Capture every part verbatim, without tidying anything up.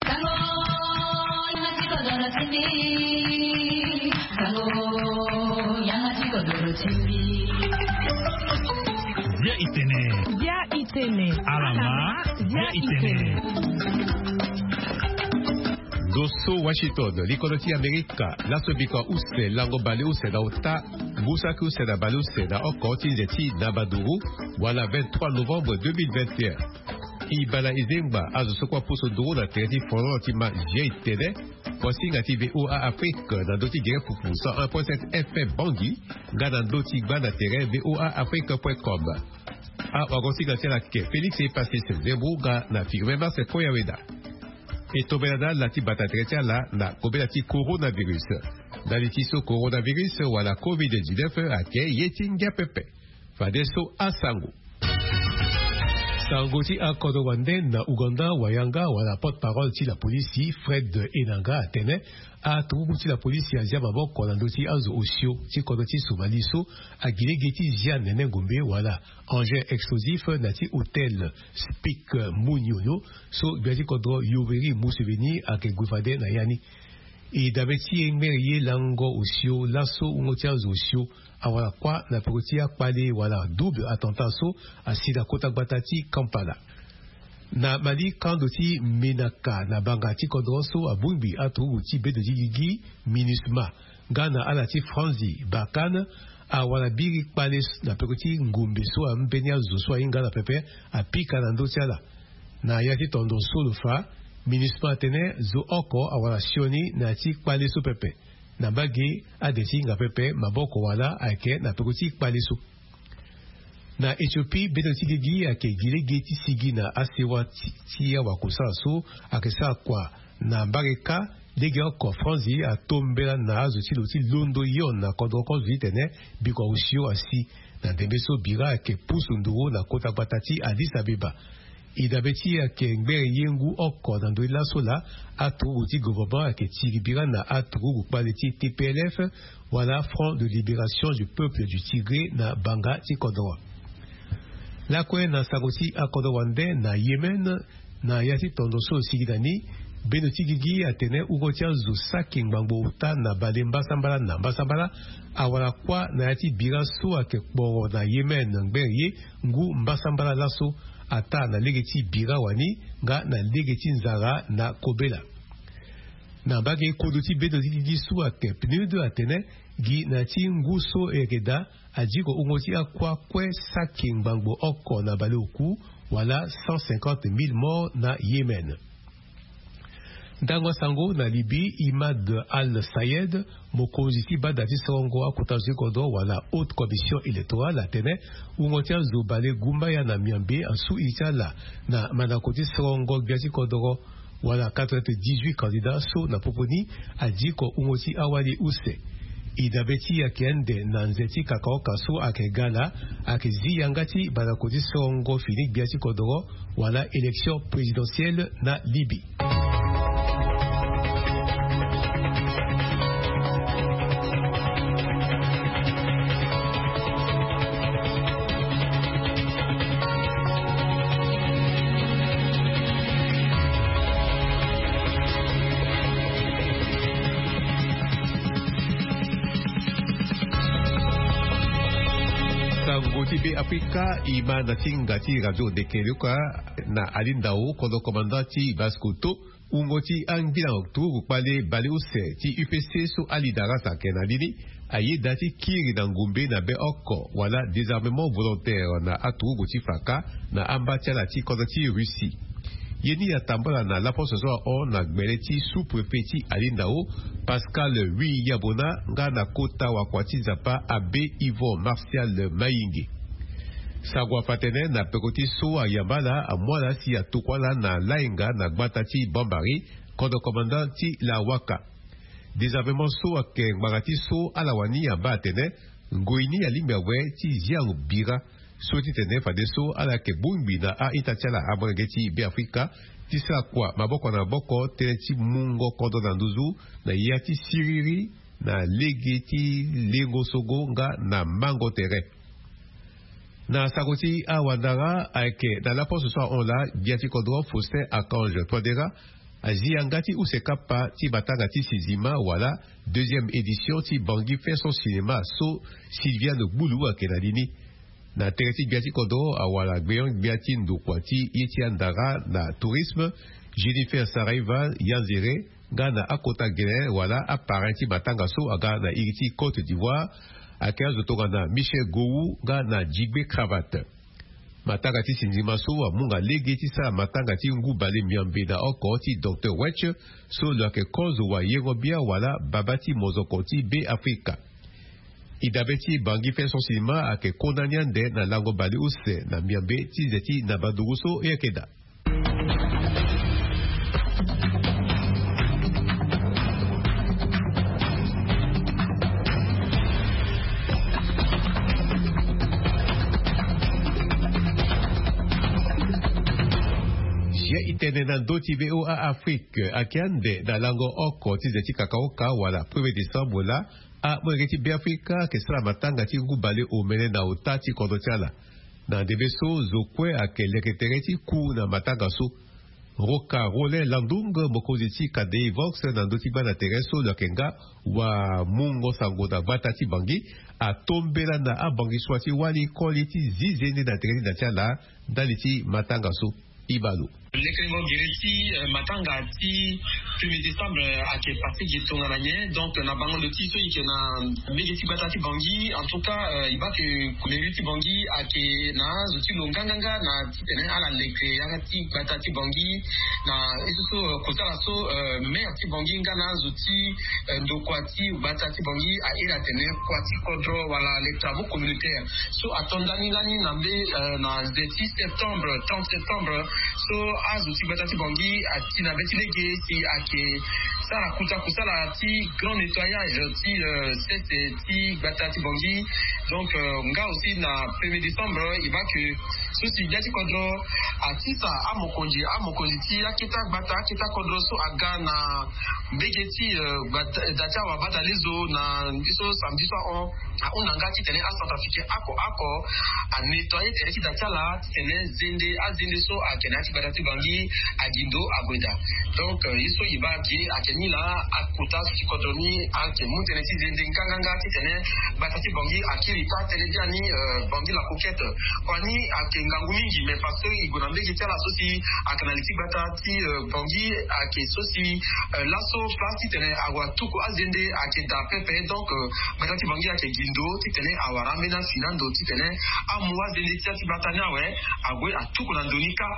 Sango, yanga ti kodoro ti mbi. Sango, yanga ti kodoro ti mbi. Bia itene. Bia itene. Alama, bia itene. Ndo so Washington, likolo ti Amerika, laso biko use, lango bale use na ota, ngu saki use na bale use na oko ti nze ti Nabaduru, wala vingt-trois novembre deux mille vingt et un. E baa na e zengba azo so kue apusu nduru na tere ti folon ti ma G I T N, wasinga ti V O A Afrique na ndö ti gere fufu cent un point sept F M Bangui, nga na ndö ti gba na tere V O A Afrique point com. Awagosinga ti ala ayeke Félix Epasis Zembo nga na Firmin Marcel Koyaweda. E tombela na ala ti bata tere ti ala na kobela ti coronavirus. Ndali ti so coronavirus wala covid dix-neuf ayeke ye ti ngia pepe. Fadeso asango. Sango ti akodro wande na Ouganda, wayanga wala porte-parole ti lapolisi Fred Enanga atene aturuku ti lapolisi azia maboko na ndö ti azo osio ti kodro ti Somalie so agi lege ti zia nene ngombe wala engin explosif na ya ti hôtel Speke Muniono so gbia ti kodro Yoweri Museveni ayeke gue fade na ya ni. E dabe ti e ngbere ye lango osio laso wungo ti azo osio awara kuâ na peko ti akpale wala double attentat so asi na kota gbata ti Kampala. Na Mali, kando ti Menaka na banga ti kodro so abongbi aturuku ti bedo ti gigi MINUSMA nga na ala ti Franzi Barkhane awara biri kpale na peko ti ngombe so ambeni azo so ahinga ala pepe apika na ndö ti ala. Na ya ti tondo so lo fa, MINUSMA atene zo oko awara sioni na ya ti kpale so pepe. Na mbage ade ti hinga pepe maboko wala ayeke na peko ti kpale so. Na Éthiopie, bedo ti gigi ayeke gi lege ti sigi na asewa ti, ti awakosala so ayeke sara kua na mbage kâ. Lege oko Franzi atombela na azo ti lo ti londo yo na kodro kozo titene bikua osio asi. Na ndembe so bira ayeke pusu nduru na kota gbata ti Addis Abeba. E dabe ti e ayeke ngbere ye ngu oko na ndö ti laso laa aturuku ti gouvernement ayeke tiri bira na aturuku kpale ti T P L F wala Front de Libération du Peuple du Tigré na banga ti kodro. Lakue na sango ti akodro wande na Yémen, na ya ti tondo so lo sigi na ni, bendo ti gigi atene wungo ti azo saki ngbangbo ota na bale mbasambala na mbasambala awara kuâ na ya ti bira so ayeke kporo na Yémen ngbere ye ngu mbasambala laso, ataa na lege ti bira wani nga na lege ti nzara na kobela. Na mbage kodo ti bedo ti gigi so ayeke PNUD atene gi na ya ti ngu so e yeke daa, adiko wungo ti akuâ kue saki ngbangbo oko na baleoku wala cent cinquante mille morts na Yémen. Ndango asango na Libye, Imad Al Sayed, mokonzi ti bada ti sorongo akota zo ti kodro wala Haute Commission Électorale atene wungo ti azo bale gumbaya na miambe asu iri ti ala na mandako ti sorongo gbia ti kodro wala quatre-vingt-dix-huit candidats so na popo ni adiko wungo ti awali use. E dabe ti e ayeke ande na nze ti kakaoka so ayeke ga laa, ayeke zi yanga ti mandako ti sorongo fini gbia ti kodro wala élection présidentielle na Libye. Sango ti Be Afrika e ma na tinga ti radio ndeke luka na alindao, kodro komanda ti Basse-Kotto, wungo ti angbila turugu kpale baleuse ti U P C so Ali Darras ayeke na ni ni, ayeda ti kiri na ngumbe na be oko wala désarmement volontaire na aturugu ti faka na amba ti ala ti kodro ti Russie. Ye ni atambula na laposo so ahon na gbele ti sous-préfet ti alindao, Pascal Wi Yabona, nga na kota wakua ti Nzapa, Abbé Yvon Martial Mayinge. Sango afa tene na peko ti so ayamba ala, amu ala si atokua ala na lainga na gbata ti Bambari, kodro komanda ti Lawaka. Désarmement so ayeke ngbanga ti so ala wani amba atene ngoi ni alingbi awe ti zia bira so titene fadeso ala yeke bongbi na a-ita ti ala amolenge ti Be Afrika ti sara kua maboko na maboko tënë ti mungo kodro na nduzu na ya ti siriri na lege ti lengo sogo nga na mango tere. Na sango ti awandara ayeke na laposo so ahon laa, gbia ti kodro Faustin Archange Touadéra azi yanga ti use kapa ti matanga ti sinzima wala deuxième édition ti Bangui fait son cinéma so Sylviane Gbulu ayeke na li ni. Na tere ti gbia ti kodro awara gbeon gbia ti ndokua ti ye ti andara na tourisme, Jennifer Saraiva Yanzere, nga na akota gele wala aparrain ti matanga so aga na iri ti Côte d'Ivoire, ayeke azo tongana Michel Gowou nga na Jigbe Cravate. Matanga ti sinzima so amunga lege ti sara matanga ti ngu bale miambe na oko ti Docteur Wetch, so lo yeke kozo wayengo bia wala baba ti mozoko ti Be Afrika. E dabe ti Bangui fait son cinéma ayeke kona ni ande na lango bale use na miambe ti nze ti nabanduru so e yeke daa. Zia e tene na ndö ti V O A Afrique ayeke ande na lango oko ti nze ti kakaoka wala premier décembre laa, amolenge ti Be Afrika ayeke sara matanga ti ngu bale omene na ota ti kodro ti ala. Na ndembe so zo kue ayeke leke tere ti ku na matanga so. Roca Rolin Landung, mokonzi ti Kadei Vox na ndö ti gbanda tere so lo yeke nga wamungo sango na gbata ti Bangui, atombela na abangui sua ti wali koli ti zi zende na tere ti da ti ala ndali ti matanga so. E baa lo. Lekerengo gere ti, eh, matanga ti premier décembre, eh, ayeke pase gi tongana nyen. Donc na bango ndo ti so e yeke na mbege ti gbata ti Bangui, en tout cas, eh, e baa ke mairie ti Bangui ayeke na azo ti lo nganganga na titene ala leke yanga ti gbata ti Bangui. Na ye so so, eh, kosala so, eh, maire ti Bangui nga na azo ti, eh, ndokua ti gbata ti Bangui airi atene kua ti kodro wala les travaux communautaires so ato ndani lani na mbe, eh, na nze ti septembre, trente septembre. So azo ti gbata ti Bangui ati na be ti lege si ayeke sara kuta kusala ti grand nettoyage ti, eh, sese ti gbata ti Bangui. Donc, eh, nga aussi na premier décembre e baa ke so si gbia ti kodro atisa amokonzi, amokonzi ti aketa gbata, aketa kodro so aga na mbege ti, eh, gbata, da ti awabadalezo na mbi so samedi so ahon. Ahunda nga titene acentrafricain oko oko anettoyer tere ti da ti ala titene zende, azende so ayeke na ya ti gbata ti Bangui agi ndo ague daa. Donc, eh, ye so e baa ge ayeke ni laa, akota azo ti kodro ni ayeke mu tënë ti zende nganganga titene gbata ti Bangui akiri taa tënë biani, eh, Bangui la Coquette. Kua ni ayeke ngangu mingi, mais parce que e gue na mbege ti ala so si ayeke na li ti gbata ti, eh, Bangui ayeke so si, eh, laso place titene ague atuku azende ayeke daa pepe. Donc, eh, gbata ti Bangui ayeke gi ndo titene awara ambeni afi na ndo titene amu azende ti ya ti gbata ni awe ague atuku na ndo ni kâ.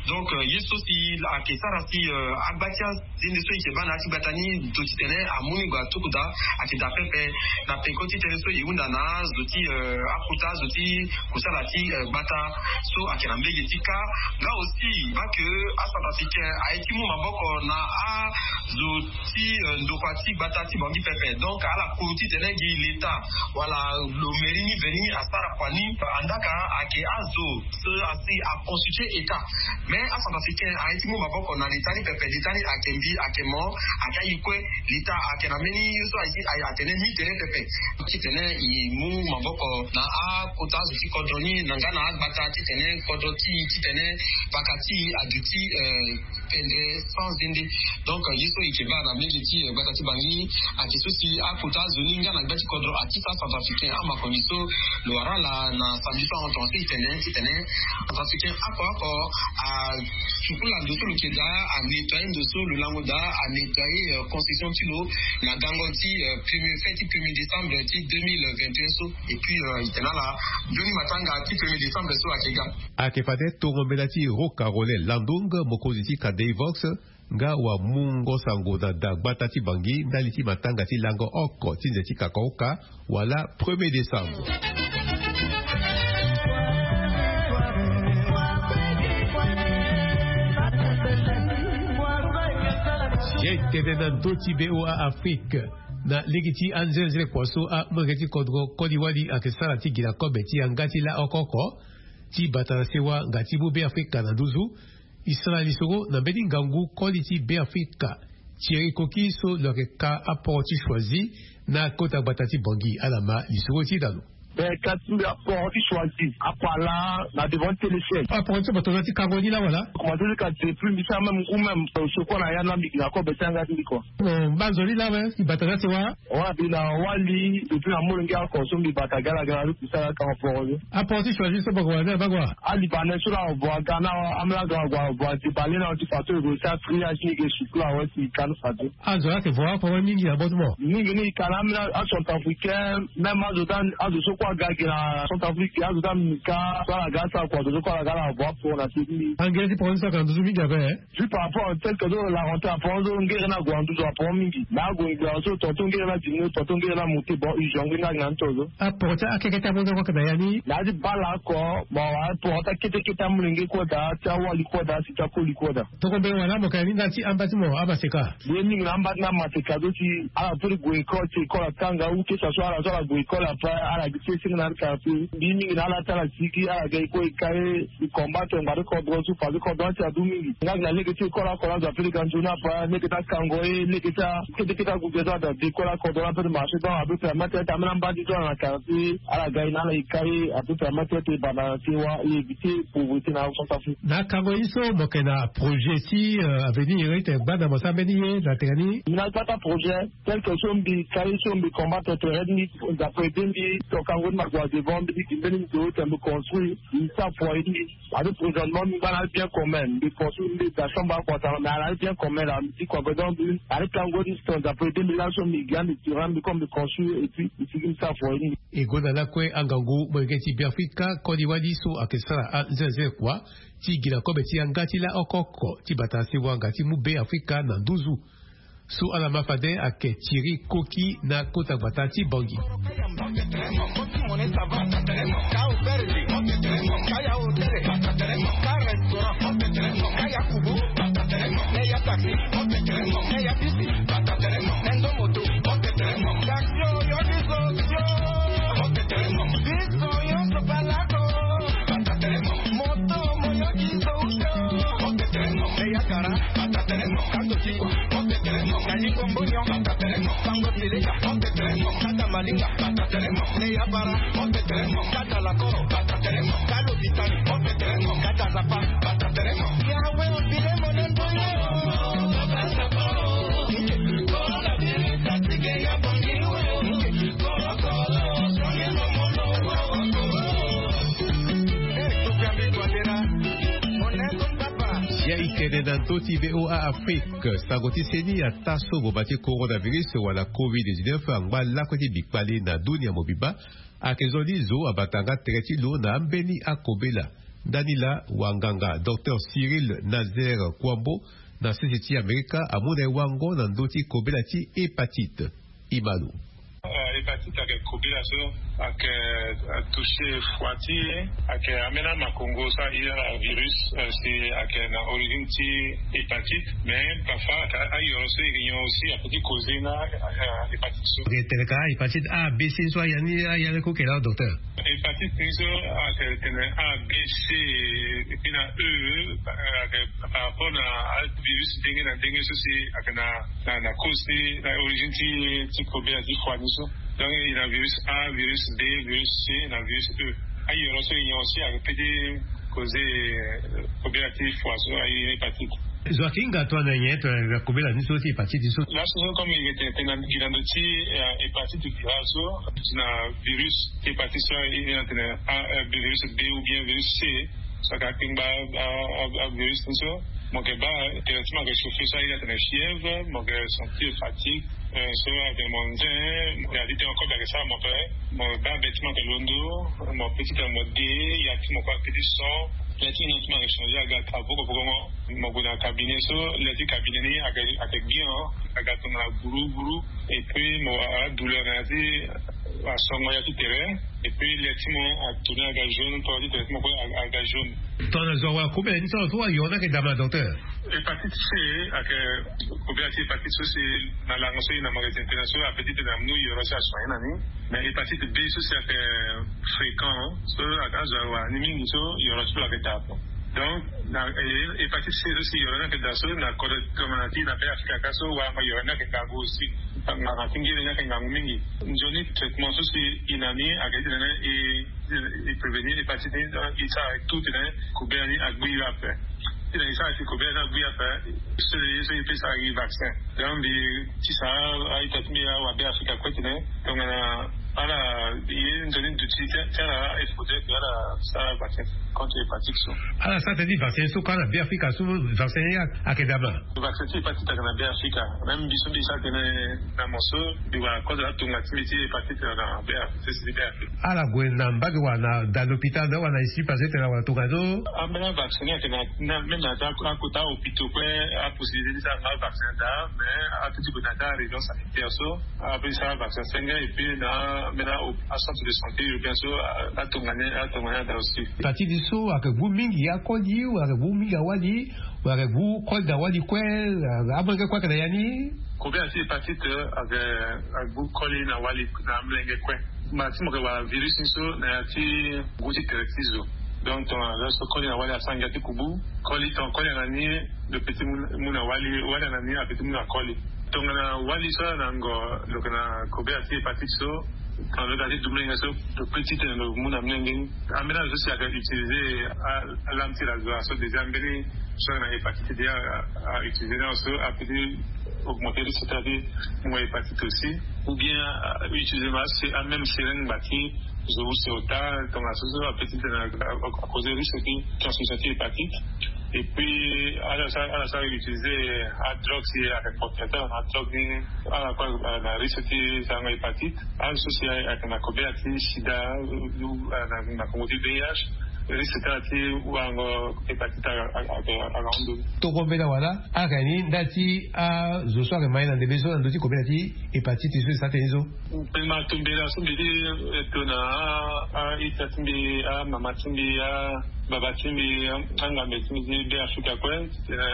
Donc, eh, ye so si ayeke sara si, eh, agba ti azende so e yeke baa na ya ti gbata ni ndo titene amu ni gue atuku daa ayeke daa pepe. Na peko ti tënë so e hunda na azo ti, eh, akota azo ti kosala ti, eh, gbata so ayeke na mbege ti kâ. Nga aussi e baa ke acentrafricain aye ti mu maboko na azo ti, eh, ndokua ti gbata ti Bangui pepe. Donc ala kuru titene gi l'État wala lo mairie ni veni asara kua ni. Andaka ayeke azo so asi aconstituer État. Mais acentrafricain aye ti mu maboko na l'État ni pepe. L'État ni ayeke mbi, ayeke mo, ayeke aye kue. L'État ayeke na mbeni ye so aye, aye atene ni tere pepe. Titene e mu maboko na akota azo ti kodro ni na nga na agbata titene kodro ti e titene paka ti e aduti, eh, pendre sans zende. Donc, eh, ye so e yeke baa na mbege ti, eh, gbata ti Bangui ayeke so si akota azo ni nga na gbia ti kodro atisa acentrafricain amakonzi so lo wara ala na samedi so ahon tongaso e tene titene acentrafricain oko oko asukula ndo so lo yeke daa, anettoyer ndo so lo lango daa, anettoyer, eh, construction ti lo na gango ti, eh, premier, fête ti premier décembre ti deux mille vingt et un so. Et puis, eh, e tene ala nzoni matanga ti premier décembre so ayeke ga. Ayeke fade tongo mbela ti Roca Rolin Landung, mokonzi ti Kadei Vox, nga wamungo sango na da gbata ti Bangui ndali ti matanga ti lango oko ti nze ti kakaoka wala premier décembre. Ye tene na ndö ti V O A Afrique, na lege ti anzenzele kua so amolenge ti kodro koli wali ayeke sara ti gi na kobe ti yanga ti laoko oko ti bata na sewa nga ti mu Be Afrika na nduzu. E sara lisoro na mbeni ngangu koli ti Be Afrika, Thierry Koki so lo yeke ka aporo ti Choisy na kota gbata ti Bangui. Ala ma lisoro ti e na lo. Mais ka ti mbi aporo ti choisi apala na devant ti téléciel. Aporo ti bato na ti kango ni la wala? Commencé ti ka depuis mbi sara même ngu même, euh, sokua na ya na mbi gi na kobe ti anga ti mbi kua. Bon, banzoni la we i bata na ti wa? Wa mbi na wali depuis na molenge oko so mbi bata gala gala ti sara ka aporo ni. Aporo ti choisi so bako wala ni abako wa? Alibanais so la avo aga na amela ga avo avo ati bale na ti fato ego sa triage ni ge sukula wa ti kanu fato. Azo ayeke vo oko mingi na botemo. Mingi ni i ka na ambeni acentrafricain, même azo ti azo so kue aga gi na centrafrique, azo ti amika so ala ga asara kua, azo so kue ala ga ala vo aporo na ti mingi. Angere ti poro ni so ayeke na nduzu mingi ape. Juste par rapport tel que so la rentrée aporo so ngere ni ague na nduzu aporo mingi. Na ague ngbia so tonton ngere ni adimi, tonton ngere ni amonte, bon, urgent ngbeni ni agi na ni to so. Aporo ti akeke ti amonte kue ayeke na ya ni. Na ya ti bale oko, bon, aporo ti akete kete amolenge kue daa, ti awali kue daa, si ti akoli kue daa. Toko mbeni wala mo ka ya ni ndali ti amba ti mo amaseka. Ye mingi na amba ti na maseka so si ala peut ti gue école, ti école atanga ou que ça soit ala so ala gue école après ala gi ti senge na ala quartier. Mbi mingi na ala ti ala sigi ala ga e kue e ka e, e combattre ngbari kodro so fadekodro ti adu mingi. Nga gi na lege ti école oko na azo ape ti ga nzoni ape, lege ti akango e, lege ti akete kete ague ge so ada de école akodro na ape ti marché donc ape permettre ti ambeni amba ti so ala na quartier ala ga e na ala e ka e ape permettre ti e banda na ti e wa e éviter pauvreté na centrafrique. Na akango ye so mo yeke na projet ti, euh, avenir ye ti tene gbanda mo sara mbeni ye na tene ni? Mbi na gbata projet tel que so mbi kari so mbi combattre tere ti mbi, nzapa ede mbi, tokango ti mbi ague na devant mbi ti gi mbeni ndo tene mbi construire mbi sara foyer ti mbi. Ade présentement mbi ngba na le bien commun, mbi construire mbi da chambre akua tara mais ala le bien commun la mbi ti kua godon mbi ade kango ti sto nzapa ede mbi laso mbi gi ande tirant mbi comme mbi construire et puis mbi sigi mbi sara foyer ti mbi. E gonda lakue angangu molenge ti Beafrika koli wali so ayeke sara anzenze kua ti gi na kobe ti yanga ti laoko oko ti bata na sewanga ti mu Beafrika na nduzu. So ala ma fade ayeke Thierry Koki na kota gbata ti Bangui. Ya i tene na ndö ti V O A Afrique, sango ti seni ataa so ngboma ti coronavirus wala covid dix-neuf angba lakue ti bikpale na dunia mobimba. Ayeke zo ni zo abata nga tere ti lo na ambeni akobela. Ndani laa wanganga docteur Cyril Nazaire Kouambo na sese ti Amerika amu na e wango na ndö ti kobela ti hépatite. Imalu. Hépatite ayeke kobela so ayeke atouché foi ti e, ayeke ambeni amakongo so aye na virus, si ayeke na origine ti hépatite. Mais parfois ayoro so e yeke nyon aussi ape ti causer na hépatite so. Tene ka hépatite A, B, C so aya ni aya ni kue kela docteur? Hépatite ni so ayeke tene A, B, C et puis na E, ayeke par rapport na avirus ndenge na ndenge so si ayeke na na na cause ti na origine ti ti problème ti foi ni so. Donc e na virus A, virus B, virus C na virus E. Ayoro so e nyon aussi ayeke pe ti causer problème ti foi so aye hépatite. Zo ayeke hinga tongana nyen tongana kobela ni so ti hépatite ni so? Laso so comme e yeke tene tene na gi na ndö ti hépatite virale so, ti na virus ti hépatite so aye na tene virus B ou bien virus C. So ayeke akpengba avirus ni so, mo yeke baa tere ti mo ayeke chauffer so aye na tene fièvre, mo yeke sentir fatigue. So ayeke mo nze, ya ti tene kobe ayeke sara mo pe, mo baa be ti mo ayeke londo, mo pe ti tene mo de, ya ti mo kue ayeke ti son. Ya ti mo ti mo ayeke changer aga travaux kokokongo. Mo gue na cabinet so, le ti cabinet ni ayeke bien, aga tongana guru guru. Et puis mo a douleur na ya ti asongo ya ti tere. Et puis le ti mo atourner aga jaune, to ti tere ti mo kue aga jaune. Tongana zo awa kobela ni so so ayoro ni ayeke dama docteur? Hépatite C ayeke kobela ti hépatite so si na lango so e na magasin tena so ape ti tena munu yoro so asoigner na ni. Mais hépatite B so si ayeke fréquent so azo awa ni mingi so yoro so lo ayeke daa. Donc Na hépatite C so si yoro ni ayeke daa so na kodro tongana ti na Be Afrika kâ so, wala yoro ni ayeke ngangu aussi. Ngangu ti ngiri ni ayeke ngangu mingi. Nzoni traitement so si e na ni ayeke titene e prévenir hépatite ni, e sara tout titene kobela ni agbi ape. Titene e sara si kobela ni agbi ape, so e pesa gi vaccin. Donc mbi tisa a-ita ti mbi awa Be Afrika kue titene tongana ala ye nzoni duti ti ala, il faudrait que ala sara vaccin contre hépatite so. Ala sara tënë ti vaccin so kâ na Be Afrika so, vaccin ni ayeke daa ma? Vaccin ti hépatite ayeke na Be Afrika. Même mbi so mbi sara tënë na mo so, mbi wara kodro atonga ti mbi ti hépatite na Be Afrika. Ala gue na mbage wala na da l'hôpital, wala na isi place ti tene wala tonga so? Ambeni avaccin ni ayeke na, même na ata akota hôpitaux kue, apossibilité ti sara nga vaccin daa, mais apeut ti gue na ata région sanitaire so, apeut ti sara vaccin senge, et puis na ambeni acentre de santé urbain so, atonga ni, atonga ni ada aussi. Hépatite so ayeke gbu mingi akoli, wala ayeke gbu mingi awali, wala ayeke gbu koli na wali kue, amolenge kue ayeke na ya ni? Kobela ti hépatite ayeke, ayeke gbu koli na wali na amolenge kue. Mba ti mo yeke wara virus ni so na ya ti ngu ti tere ti zo. Donc tongana zo so koli na wali asara ngia ti kubu, koli, tongana koli ayeke na ni, lo peut ti mu na wali, wali ayeke na ni apeut ti mu na koli. Tongana wali so ala na ngo, lo yeke na kobela ti hépatite so, tongana lo yeke na ti du molenge so, lo peut ti tene lo mu na molenge ni. Ambeni azo so si ayeke utiliser a, alame ti rasoir so déjà mbeni so ayeke na hépatite déjà a, a utiliser ni azo so apeut ti augmenter risque ti ala ti mu hépatite aussi. Ou bien, euh, utiliser ma se-, a même seringue ngba ti zo use ota, tongana so so apeut ti tene a, a, a causer risque ti transmission ti hépatite. Et puis ala sara, ala sara utiliser adrogue si ayeke portateur na adrogue ni, ala kue, euh, na risque ti sarango hépatite. Azo so si ayeke na kobela ti sida, euh, na, na kongo ti V I H, risque ti ala ti warango hépatite ayeke, ayeke, ayeke ahon ndo ni. Toko mbela wala ala yeke ni nda ti azo so ayeke ma ye na ndembe so na ndö ti kobela ti hépatite so e sara tënë so? Pengema tombela so mbi ti, eh, to na a, a-ita ti mbi, amama ti mbi, ababa ti mbi, a, angambe ti mbi ti Be Afrika kue, titene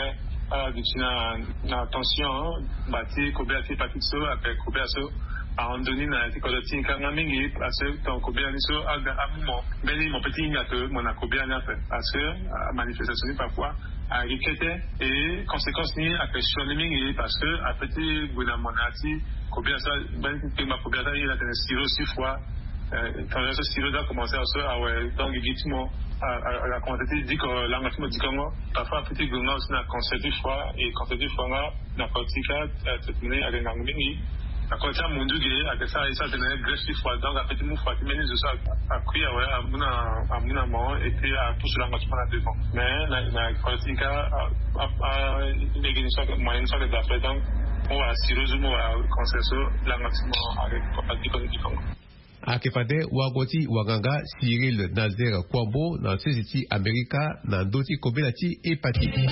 ala duti na, na attention, ngba ti kobela ti hépatite so, ape kobela so ahon ndo ni na ya ti kodro ti e kanga mingi, parce que tongana kobela ni so aga amu mo, mbeni mo peut ti hinga ke mo na kobela ni ape, parce que, a, manifestation ni parfois ayeke kete, et conséquence ni ayeke sioni mingi, parce que apeut ti gue na mo na ya ti kobela so, mbeni ti tengba kobela so aye na tene sirop six fois, euh, tongana so sirop so akomanse awe, donc gigi ti mo a, a, a komanse ti diko, lango ti mo dikongo. Parfois apeut ti gue nga aussi na cancer ti foie, et cancer ti foie nga na kota ti ka, euh, traitement ni ayeke ngangu mingi. Na kota ti amundu ge ayeke sara e sara tene greffe ti foie, donc apeut ti mu foie ti mbeni zo so a, akui awe, amu na, amu na mo, et puis apusu lango ti mo na devant. Mais na, na kota ti ka, a, a, a, lege ni so ayeke, moyen ni so ayeke daa fade, donc mo wara sirop so, mo wara cancer so, lango ti mo ayeke, ayeke diko ni dikongo. Ayeke fade wago ti wanganga Cyril Nazaire Kouambo na sese ti Amerika na ndö ti kobela ti hépatite.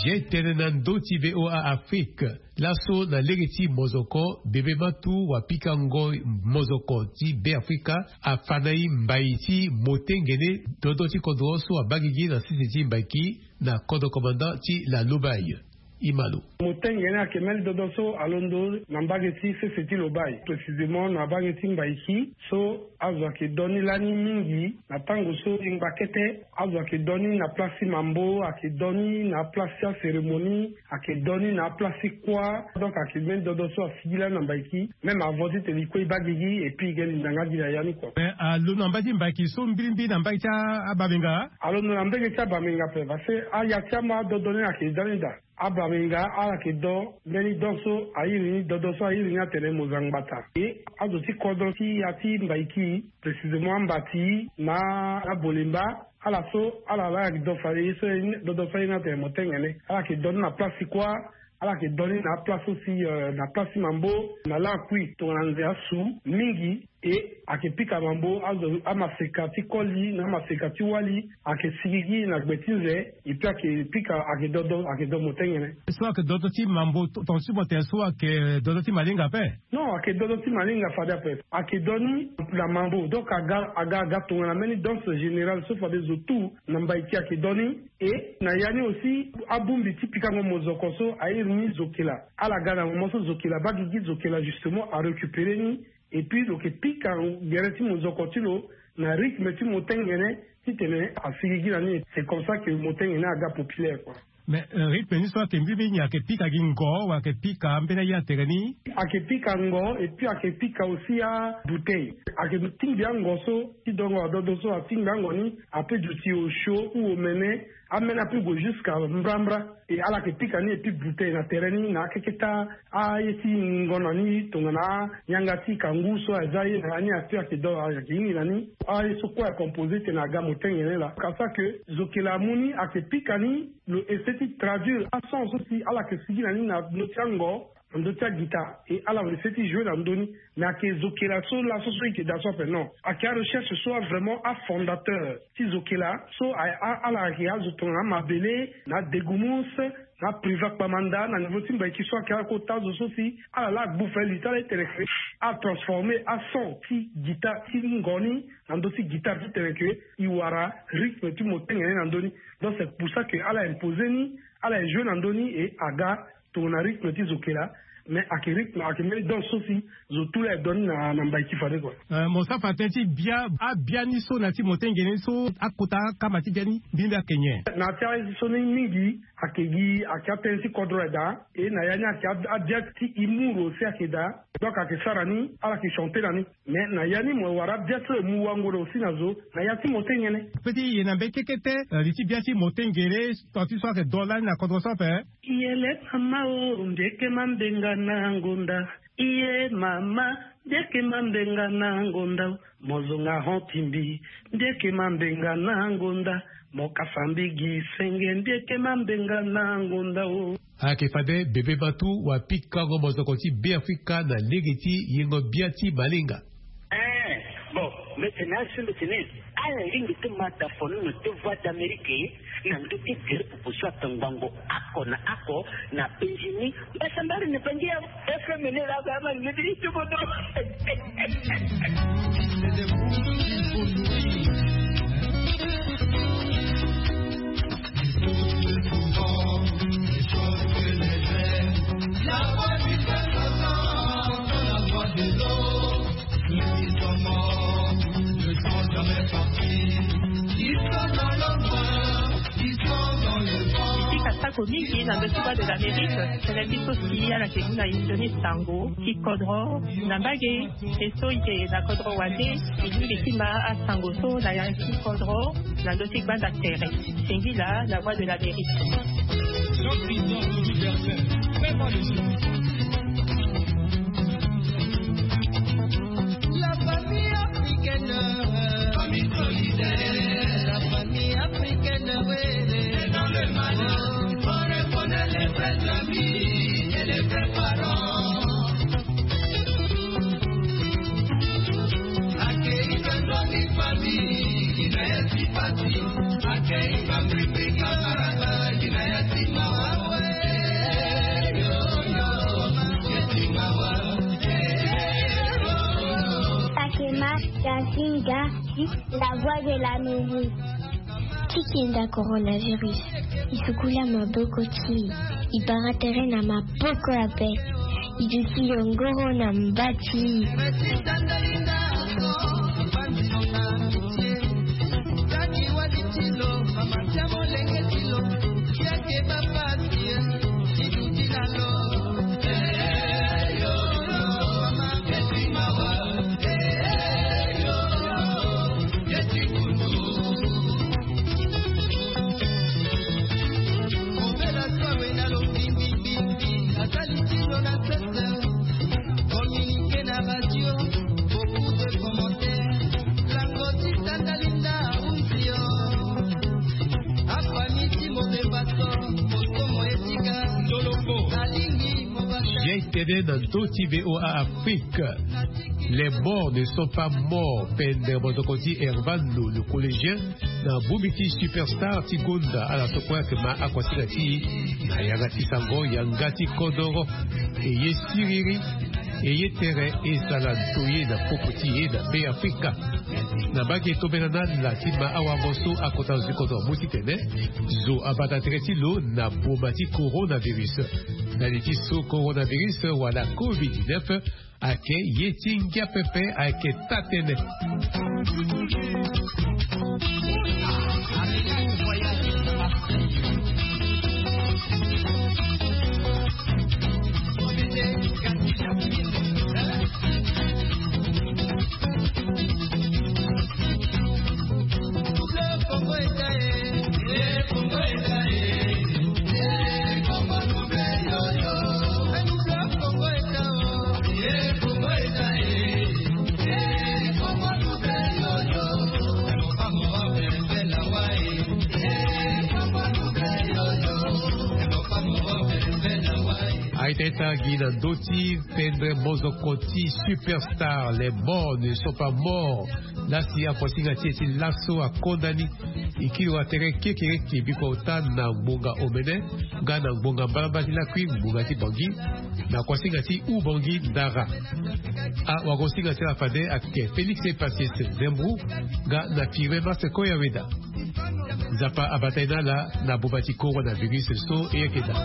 Zia tënë na ndö ti V O A Afrique. Laso na lege ti mozoko, bebe matu wa pikango mozoko ti Be Afrika afa na e mbai ti motengene dodo ti kodro so abaa gigi na sese ti mbaiki na kodro commandant ti la Lobaye. Imalo. Motengene ayeke mbeni dodo so alondo na mbage ti sese ti Lobaye, précisément na mbage ti Mbaiki, so azo ayeke do ni lani mingi. Na tango so e ngba kete, azo ayeke do ni na place ti mambo, ayeke do ni na place ti acérémonie, ayeke do ni na place ti kuâ. Donc ayeke mbeni dodo so asigi lani na Mbaiki. Même avant ti tene e kue e baa gigi, et puis e ge linda nga gi na ya ni kua. Mais alondo na mbage ti Mbaiki so mbirimbiri na mbage ti a, abamenga? Alondo na mbage ti abamenga ape, parce que aya ti ama adodo ni ayeke da ni daa. Abamenga ala yeke do mbeni do so a iri ni, dodo so a iri ni atene Mozangbata. E azo ti kodro ti ya ti Mbaiki, précisément ambati na abolemba, ala so ala laa ayeke do fade ye so, dodo so a iri ni atene motengene. Ala yeke do ni na place ti kuâ, ala yeke do ni na aplace aussi, euh, na place ti mambo, na lakui tongana nze asu mingi. E ayeke pika mambo azo amaseka ti koli na amaseka ti wali, ayeke sigigi na gbe ti nze. Epui ayeke pika ayeke dodo ayeke do motengene. So ayeke dodo ti mambo tonga ti mo tene so ayeke dodo ti malinga ape? Non, ayeke dodo ti malinga fade ape. Ayeke do ni na mambo, donc aga aga aga tongana mbeni danse générale so fade zo tout na mbai ti ayeke do ni. E na ya ni aussi abongbi ti pikango mozoko so airi ni zokela. Ala ga na moment so zokela abaa gigi, zokela justement arécupéré ni. Epui lo yeke pika gere ti mozoko ti lo na rythme ti motengene titene asigigi na ni. C'est comme ça que motengene aga populaire quoi. Mais rythme ni so ayeke mbi mbi nyen? Ayeke pika gi ngo wala ayeke pika ambeni aye atere ni? Ayeke pika ngo epui ayeke pika aussi abouteille. Ayeke tingbi ango so ti dongo adodo so atingbi ango ni ape duti osio ou omene. Ameni ape gue jusqu'à mbrambra. E ala yeke pika ni epui bouteille na tere ni na akeketa aye ti ngingo na ni tongana anyanga ti kangu so aza ye na ya ni ape ayeke do ayeke hingi na ni. Aye so kue acompose tene aga motengene laa kasa ke zokela amu ni ayeke pika ni. Lo essaie ti traduire ason so si ala yeke sigi na ni na ndö ti ango na ndö ti agita. E ala essaie ti jouer na ndö ni. Mais ayeke zokela so laso so e yeke daa so ape non, ayeke arecherche so avraimment afondateur ti zokela so ala ayeke azo tongana amabele na adegumus na apriva kpamanda na niveau ti mbaiki so ayeke akota azo so si ala laa agbu fali ti ala ti tene ke atransforme ason ti gita ti ngo ni na ndö ti gitare ti tene ke e wara rythme ti motengene na ndö ni. Donc c'est pour ça ke ala impose ni, ala ejoue na ndö ni e aga tongana rythme ti zokela. Mais ayeke rythme ayeke mbeni danse so si zo tout laa e do ni na mbai ti fade kua. Mo sara fa tënë ti bia abia ni so na ya ti motengene ni so akota akama ti bia ni mbi mbi ayeke nyen? Na ya ti aye so ni mingi ayeke gi ayeke atënë ti kodro aye daa. E na ya ni ayeke abia ti humour aussi ayeke daa. Donc ayeke sara ni ala yeke chanter na ni. Mais na ya ni mo wara bia so e mu wango na aussi na zo na ya ti motengene. Pe ti ye na mbeni kekete li ti bia ti motengene. Tant ti so ayeke do lani na kodro so ape. Yele mama o mbi yeke mambenga na ngonda. Iye mama mbi yeke mambenga na ngonda o. Mo zonga hon ti mbi mbi yeke mambenga na ngonda. Mo kasa mbi gi senge mbi yeke mambenga na ngonda o. Ayeke fade bebe matu wapikango mozoko ti Beafrika na lege ti yengo bia ti malinga. Ee, bon, mbi tene asi mbi tene ala lingbi ti ma dafono na ti Voix d'Amérique na ndö ti gere popo so atongbango ako na ako na Benjini. Mbasambari na bangi ya F M N la ba ma ni ti bodo. Tika sako mingi na ndö ti Voix de l'Amérique. Tene biso si ala yeke mu na inzo ni sango ti kodro na mbage. E so e yeke na kodro wande e lingbi ti ma asango so na ya ti kodro na ndö ti gbanda tere. Singila la Voix de l'Amérique. La famille africaine, famille solidaire, la famille africaine, oui, c'est dans le malheur qu'on reconnaît les vrais amis et les vrais parents. Fatima Yasinga, la voix de l'Amérique. Ti kenda coronavirus, e sukula maboko ti e, e bara tere na maboko ape, e duti yongoro na mba ti e. Bien tene na ndö ti V O A Afrique. Les morts ne sont pas morts. Pendere mozoko ti Hervano, le collégien, na bongbi ti Superstar ti gonda ala so kue ayeke ma akuasinga ti e na yanga ti sango yanga ti kodoro. E ye siriri, e ye tere, e sara ntoye na popo ti e na Be Afrika. Na mbage tombela na ala ti ma awango so akota zo ti kodoro mu titene zo abata tere ti lo na boma ti coronavirus. Na li ti so coronavirus wala covid dix-neuf ayeke ye ti ngia pepe ayeke taa-tënë. Aita ita gi na ndö ti pendere mozoko ti Superstar, les morts ne sont pas morts. Lasi akuasinga ti e ti laso akonda ni. E kiri wa tere kekereke biko ota na ngbonga omene nga na ngbonga mbalambala ti lakui ngbonga ti Bangui, na kuasinga ti Oubangui Ndara. Awagosinga ti ala fade ayeke Félix Epacius Zembro nga na Firmin Marcel Koyaweda. Nzapa abata e na ala na boma ti coronavirus so e yeke daa.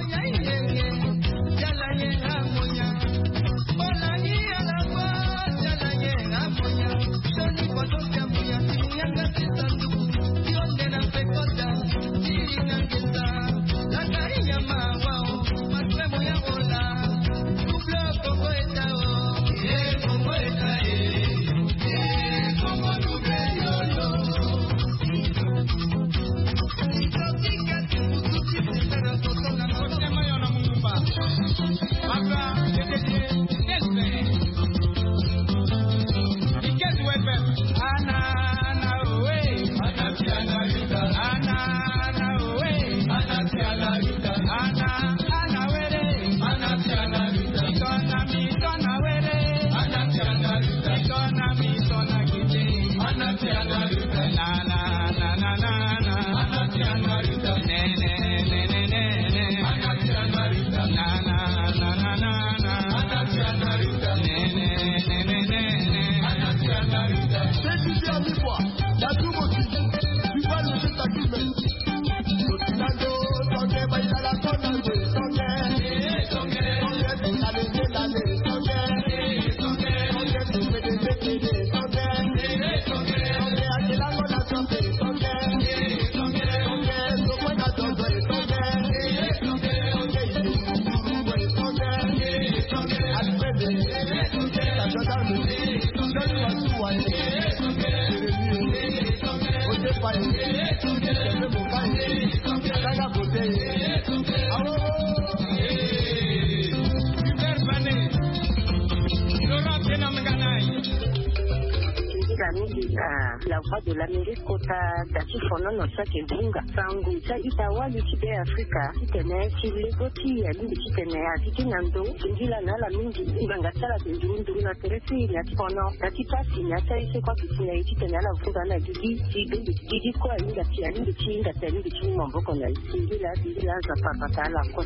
Ndinga mingi na La Voix de l'Amérique kota da ti fonono so ayeke hunga sango ti a-ita wali ti Be Afrika titene ti lego ti alingbi titene a gigi na ndo. Singila na ala mingi ngbanga ti ala ayeke nduru nduru na tere ti e na ya ti fono na ya ti pasi na ya ti aye so kue ayeke si na e titene ala vunga na gigi ti bembe gigi kue ahinga ti alingbi ti hinga ti alingbi ti mu maboko na e. Singila singila Nzapa abata ala kue.